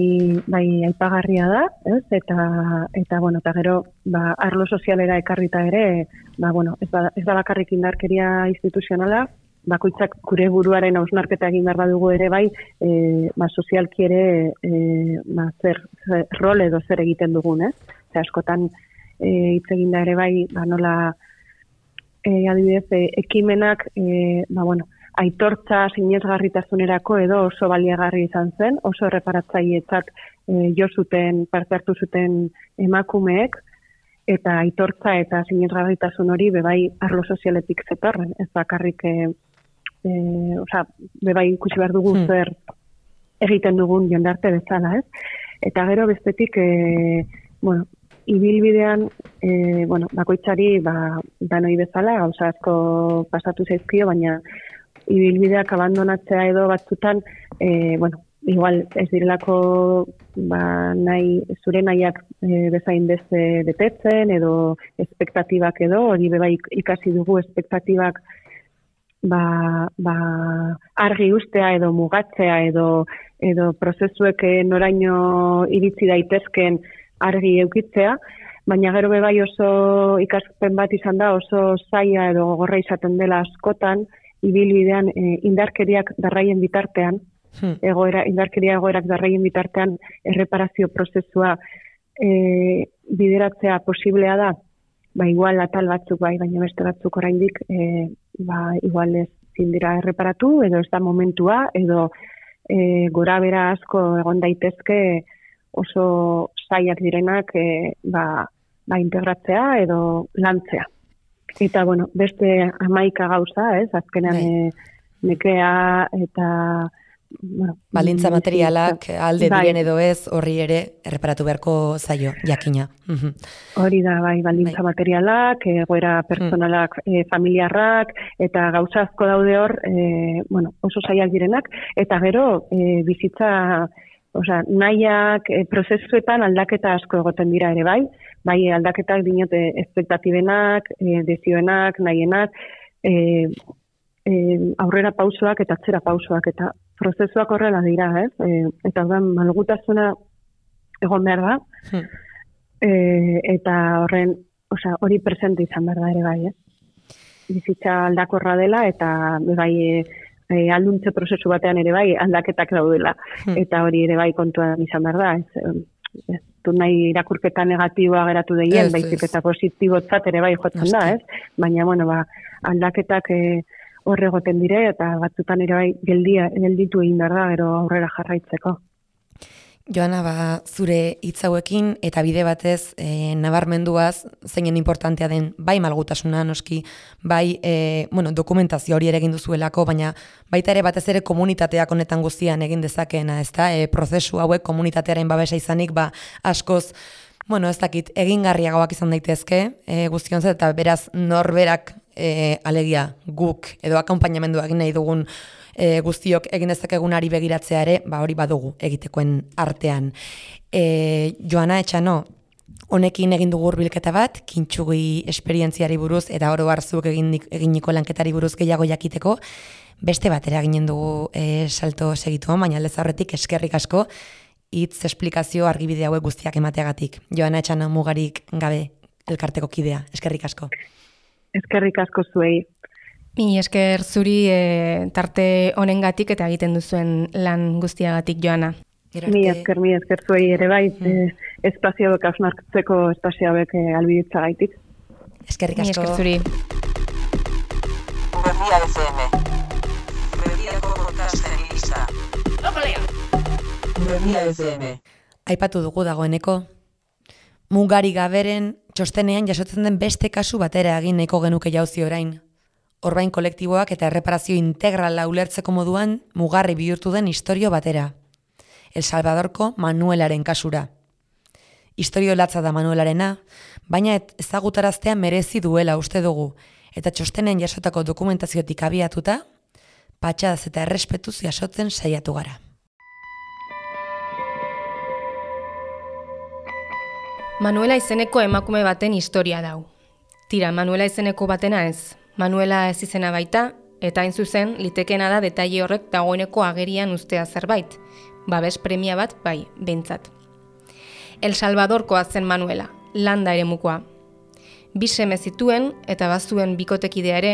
bai aipagarria da, ez? Eta, eta, bueno, eta gero, ba, arlo sozialera ekarrita ere, ba, bueno, ez da, ez da bakarrik indarkeria instituzionala, bakoitzak gure buruaren hausnarketa egin behar badugu ere bai, e, ba, sozialki ere e, ba, zer, zer rol edo zer egiten dugun, ez? Ze askotan e, hitz eginda ere bai, ba, nola e, adibidez, e, ekimenak, e, ba, bueno, aitortza sinesgarritasunerako edo oso baliagarri izan zen, oso erreparatzailetzat e, jo zuten, parte hartu zuten emakumeek, eta aitortza eta sinesgarritasun hori bebai arlo sozialetik zetorren, ez bakarrik, e, e, oza, bebai ikusi behar dugu hmm. zer egiten dugun jendarte bezala, ez? Eta gero bestetik, e, bueno, ibilbidean, e, bueno, bakoitzari, ba, danoi bezala, gauza asko pasatu zaizkio, baina ibilbideak abandonatzea edo batzutan, e, bueno, igual ez direlako ba, nahi, zure nahiak e, bezain beste betetzen, edo espektatibak edo, hori bebai ikasi dugu espektatibak ba, ba, argi ustea edo mugatzea edo, edo prozesuek noraino iritsi daitezken argi eukitzea, baina gero bebai oso ikaspen bat izan da, oso zaila edo gogorra izaten dela askotan, ibilbidean e, indarkeriak darraien bitartean, hmm. egoera, indarkeria egoerak darraien bitartean erreparazio prozesua e, bideratzea posiblea da, ba igual atal batzuk bai, baina beste batzuk oraindik e, ba igual ez zindira erreparatu, edo ez da momentua, edo e, gora bera asko egon daitezke oso zailak direnak e, ba, ba integratzea edo lantzea. Eta, bueno, beste hamaika gauza, ez, azkenean e, nekea eta... Bueno, balintza materialak alde bai. Diren edo ez, horri ere erreparatu beharko zaio, jakina. Hori da, bai, balintza bai. Materialak, egoera personalak, mm. e, familiarrak, eta gauza asko daude hor, e, bueno, oso zailak direnak, eta gero e, bizitza... Osea, nahiak, e, prozesuetan aldaketa asko egoten dira ere bai, bai aldaketak dinote espektatibenak, e, dezioenak, nahienak, e, e, aurrera pausoak eta atzera pausoak, eta prozesuak horrela dira, ez? E, eta orduan malgutasuna egon behar da, hmm. e, eta horren, osea, hori presente izan behar da ere bai, ez? Bizitza aldakorra dela, eta bai... E, E, alduntze prozesu batean ere bai aldaketak daudela, hmm. eta hori ere bai kontuan izan behar da, ez, ez du nahi irakurketa negatiboa geratu deien, baizik eta positibotzat ere bai jotzen da, ez? Baina, bueno, ba, aldaketak e, horre goten dire, eta batzutan ere bai geldia, gelditu egin behar da, gero aurrera jarraitzeko. Joana, ba, zure hitz hauekin eta bide batez e, nabarmenduaz zeinen importantea den bai malgutasuna noski, bai e, bueno, dokumentazio hori ere egin duzuelako, baina baita ere batez ere komunitateak honetan guztian egin dezakeena, ezta? E, prozesu hauek komunitatearen babesa izanik, ba, askoz, bueno, ez dakit, egingarriagoak izan daitezke, e, guztionzat, eta beraz norberak e, alegia guk edo akonpainamendua egin nahi dugun E, guztiok egin dezakegunari begiratzea ere, ba hori badugu egitekoen artean. E, Joana Etxano, honekin egin dugu hurbilketa bat, kintsugi esperientziari buruz eta oro barzuk egin, eginiko lanketari buruz gehiago jakiteko, beste batera ginen dugu e, salto segituan, baina aldez aurretik eskerrik asko, hitz esplikazio argibide hauek guztiak emateagatik. Joana Etxano mugarik gabe elkarteko kidea, eskerrik asko. Eskerrik asko zuei. Mi esker zuri e, tarte honengatik eta egiten duzuen lan guztiagatik, Joana. Mi esker, mi esker zuei ere bai, mm. e, espazio hauek hausnartzeko espazio hauek e, albiditza gaitik. Eskerrik asko. Mi esker zuri. Berria F M. Berriako podcasten gisa. Berria F M. Aipatu dugu dagoeneko. Mugari gaberen txostenean jasotzen den beste kasu batera egin nahiko genuke jauzi orain. Orbain kolektiboak eta erreparazio integrala ulertzeko moduan mugarri bihurtu den istorio batera. El Salvadorko Manuelaren kasura. Istorio latza da Manuelarena, baina ezagutaraztea merezi duela uste dugu, eta txostenen jasotako dokumentaziotik abiatuta, patxadaz eta errespetuz jasotzen saiatu gara. Manuela izeneko emakume baten historia dau. Tira, Manuela izeneko batena ez. Manuela ez izena baita, eta hain zuzen, litekena da detaile horrek dagoeneko agerian ustea zerbait. Babes premia bat, bai, behintzat. El Salvadorkoa zen Manuela, landa ere mukoa. Bi seme zituen eta bazuen bikotekidea ere,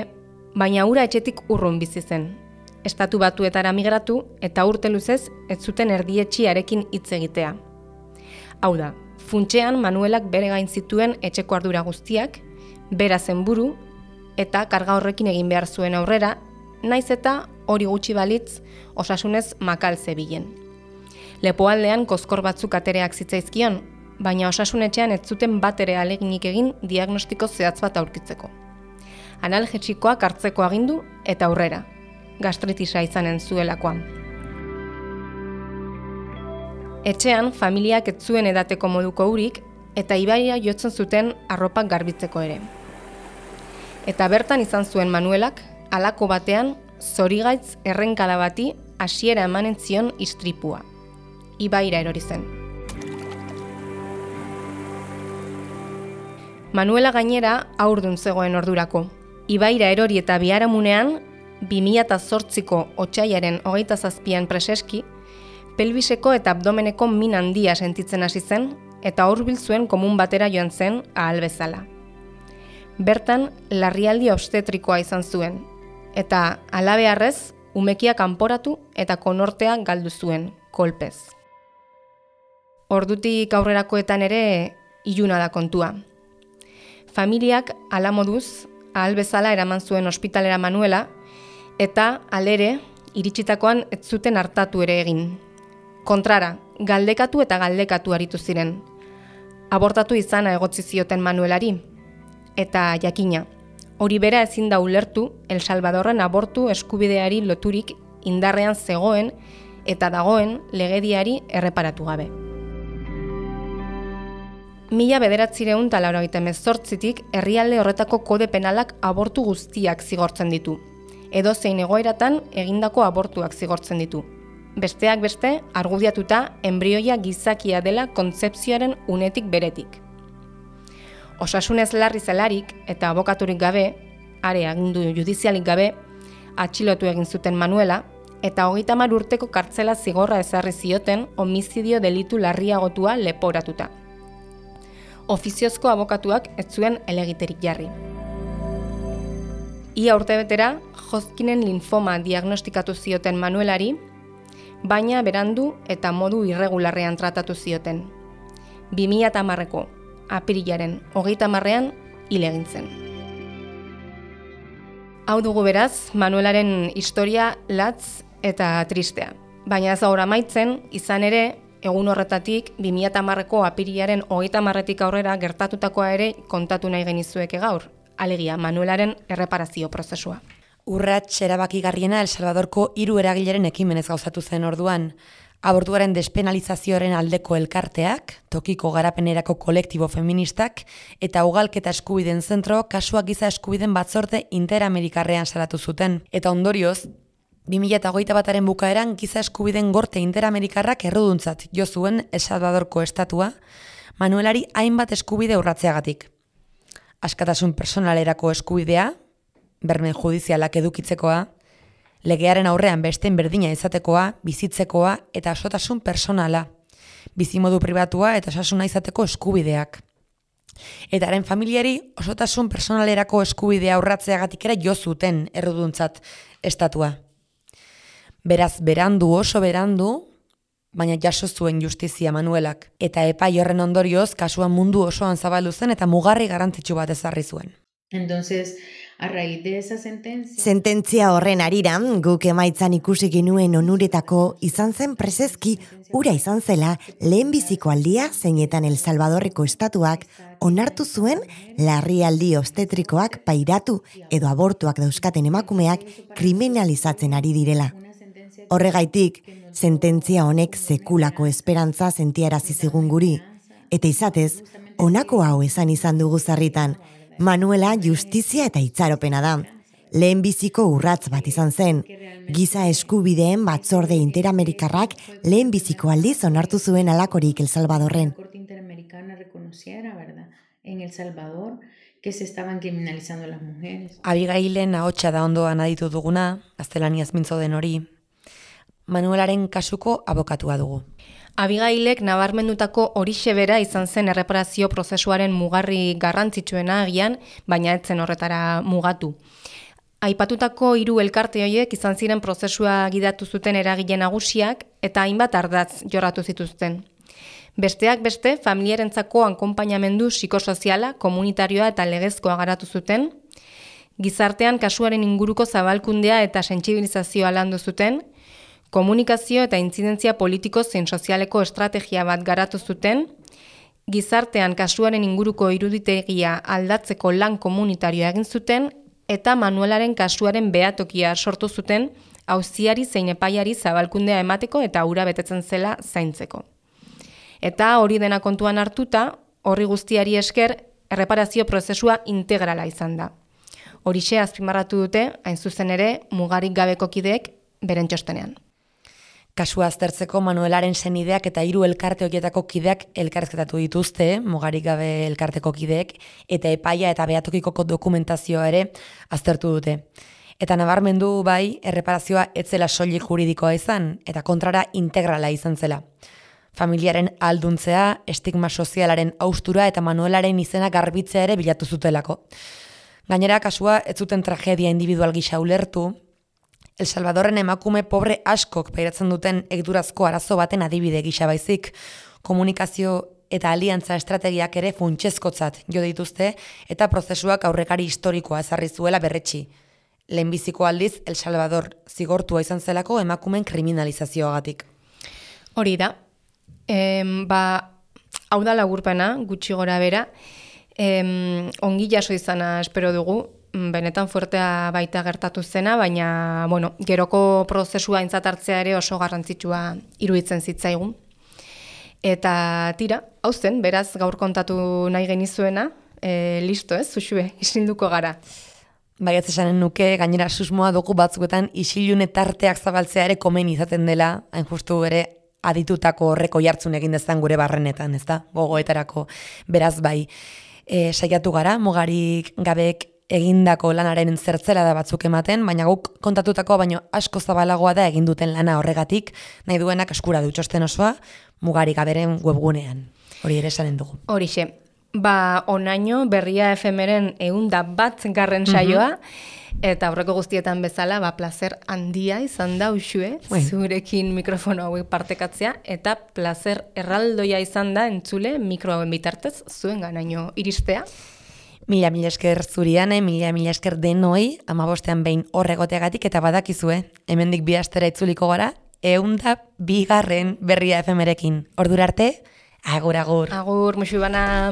baina hura etxetik urrun bizi zen. Estatu Batuetara migratu eta urte luzez ez zuten erdietxiarekin hitz egitea. Hau da, funtsean Manuelak bere gain zituen etxeko ardura guztiak, bera zen buru, eta karga horrekin egin behar zuen aurrera, naiz eta hori gutxi balitz osasunez makal zebilen. Lepoaldean kozkor batzuk atereak zitzaizkion, baina osasunetxean ez zuten bat ere aleginik egin diagnostiko zehatz bat aurkitzeko. Analgetikoak hartzeko agindu eta aurrera, gastritisa izanen zuelakoan. Etxean, familiak ez zuen edateko moduko urik eta ibaia jotzen zuten arropak garbitzeko ere. Eta bertan izan zuen Manuelak, halako batean, zorigaitz errenkada bati hasiera emanen zion istripua. Ibaira erori zen. Manuela gainera haurdun zegoen ordurako. Ibaira erori eta biharamunean, bi mila zortziko otsailaren hogeita zazpian preseski, pelbiseko eta abdomeneko min handia sentitzen hasi zen, eta hurbil zuen komun batera joan zen ahal bezala. Bertan, larrialdi obstetrikoa izan zuen, eta halabeharrez, umekia kanporatu eta konortea galdu zuen, kolpez. Ordutik aurrerakoetan ere, iluna da kontua. Familiak hala moduz, ahal bezala eraman zuen ospitalera Manuela, eta alere, iritsitakoan ez zuten hartatu ere egin. Kontrara, galdekatu eta galdekatu aritu ziren. Abortatu izana egotzi zioten Manuelari. Eta jakina, hori bera ezin da ulertu El Salvadorren abortu eskubideari loturik indarrean zegoen eta dagoen legediari erreparatu gabe. Mila bederatzireun eta laurogeita hemezortzitik herrialde horretako kode penalak abortu guztiak zigortzen ditu. Edozein egoeratan egindako abortuak zigortzen ditu. Besteak beste, argudiatuta enbrioia gizakia dela kontzepzioaren unetik beretik. Osasunez larri zelarik eta abokaturik gabe, are agindu judizialik gabe, atxilotu egin zuten Manuela, eta hogeita hamar urteko kartzela zigorra ezarri zioten homizidio delitu larriagotua leporatuta. Ofiziozko abokatuak ez zuen helegiterik jarri. Ia urtebetera, Hodgkinen linfoma diagnostikatu zioten Manuelari, baina berandu eta modu irregularrean tratatu zioten. bi mila hamareko apirilaren hogeita hamarrean hil egin zen. Hau dugu beraz, Manuelaren historia latz eta tristea. Baina ez gaur amaitzen, izan ere, egun horretatik, bi mila hamareko apirilaren hogeita hamarretik aurrera gertatutakoa ere kontatu nahi genizueke gaur, alegia Manuelaren erreparazio prozesua. Urrats erabakigarriena El Salvadorko hiru eragileren ekimenez gauzatu zen orduan. Abortuaren despenalizazioaren aldeko elkarteak, tokiko garapenerako kolektibo feministak eta ugalketa eskubideen zentro kasua giza eskubideen batzorde interamerikarrean salatu zuten. Eta ondorioz, bi mila hogeita bataren bukaeran giza eskubideen gorte interamerikarrak erruduntzat jo zuen El Salvadorko estatua, Manuelari hainbat eskubide urratzeagatik. Askatasun personalerako eskubidea, berme judizialak edukitzekoa, legearen aurrean besteen berdina izatekoa, bizitzekoa eta osotasun personala, bizimodu pribatua eta osasuna izateko eskubideak. Eta haren familiari osotasun personalerako eskubidea urratzeagatik ere jo zuten erruduntzat estatua. Beraz, berandu oso berandu, baina jaso zuen justizia Manuelak. Eta epai horren ondorioz, kasuan mundu osoan zabaldu zen eta mugarri garrantzitsu bat ezarri zuen. Entonces, a raíz de esa sentencia... Sententzia horren arira, guk emaitzan ikusi genuen onuretako izan zen preseski ura izan zela lehenbiziko aldia zeinetan El Salvadorreko estatuak onartu zuen larrialdi obstetrikoak pairatu edo abortuak dauzkaten emakumeak kriminalizatzen ari direla. Horregaitik, sententzia honek sekulako esperantza sentiarazi zigun guri, eta izatez, honako hau esan izan dugu zarritan, Manuela justizia eta itxaropena da. Lehenbiziko urratz bat izan zen. Giza eskubideen batzorde interamerikarrak lehenbiziko aldiz onartu zuen alakorik El Salvadorren. En El Salvador, que se estaban criminalizando las mujeres. Abigailen ahotsa da ondoan aditu duguna, gaztelaniaz mintzo den hori. Manuelaren kasuko abokatua dugu. Abigailek nabarmendutako horixe bera izan zen erreparazio prozesuaren mugarri garrantzitsuena agian, baina ez zen horretara mugatu. Aipatutako hiru elkarte horiek izan ziren prozesua gidatu zuten eragile nagusiak eta hainbat ardatz jorratu zituzten. Besteak beste, familiarentzako ankonpainamendu psikosoziala, komunitarioa eta legezkoa garatu zuten, gizartean kasuaren inguruko zabalkundea eta sentsibilizazioa landu zuten, komunikazio eta intzidentzia politiko zein sozialeko estrategia bat garatu zuten, gizartean kasuaren inguruko iruditegia aldatzeko lan komunitarioa egin zuten, eta Manuelaren kasuaren behatokia sortu zuten, auziari zein epaiari zabalkundea emateko eta hura betetzen zela zaintzeko. Eta hori dena kontuan hartuta, horri guztiari esker, erreparazio prozesua integrala izan da. Horixe azpimarratu dute, hain zuzen ere, mugarik gabeko kideek beren txostenean. Kasua aztertzeko Manuelaren senideak eta hiru elkarte horietako kideak elkarrizketatu dituzte, mugarik gabe elkarteko kideek, eta epaia eta behatokiko dokumentazioa ere aztertu dute. Eta nabarmendu bai, erreparazioa etzela soilik juridikoa izan, eta kontrara integrala izan zela. Familiaren alduntzea, estigma sozialaren haustura eta Manuelaren izena garbitzea ere bilatu zutelako. Gainera, kasua ez zuten tragedia individual gisa ulertu, El Salvadorren emakume pobre askok pairatzen duten egiturazko arazo baten adibide gisa baizik, komunikazio eta aliantza estrategiak ere funtsezkotzat jo dituzte eta prozesuak aurrekari historikoa ezarri zuela berretsi. Lehenbiziko aldiz El Salvador zigortua izan zelako emakumen kriminalizazioagatik. Hori da. Em, ba, hau da laburpena, gutxi gora bera, em, ongi jaso izana espero dugu, benetan fuertea baita gertatu zena, baina bueno, geroko prozesua aintzat hartzea ere oso garrantzitsua iruditzen zitzaigun. Eta tira, hau zen, beraz gaur kontatu nahi genizuena, e, listo ez, Uxue, isilduko gara. Bai, ez esanen nuke, gainera susmoa dugu batzuetan isilune tarteak zabaltzea ere komen izaten dela, hain justu ere aditutako horreko jartzun egin dezan gure barrenetan, ez da, gogoetarako, beraz bai, e, saiatu gara, mugarik gabek egindako lanaren zertzela da batzuk ematen, baina guk kontatutako baino asko zabalagoa da egin duten lana horregatik, nahi duenak eskura du txosten osoa, mugarik gaberen webgunean. Hori ere esanen dugu. Horixe, ba onaino berria efemeren eunda bat garren saioa, eta aurreko guztietan bezala, ba plazer handia izan da Uxue, bueno, zurekin mikrofono hauek partekatzea, eta plazer erraldoia izan da entzule mikro hauen bitartez zuen ganaino iristea. Mila mila esker zuriane, mila mila esker denoi, amabostean behin horregoteagatik eta badakizue, hemendik bi astera itzuliko gara, eunda bigarren berria efemerekin. Ordura arte, agur agur. Agur, musu bana.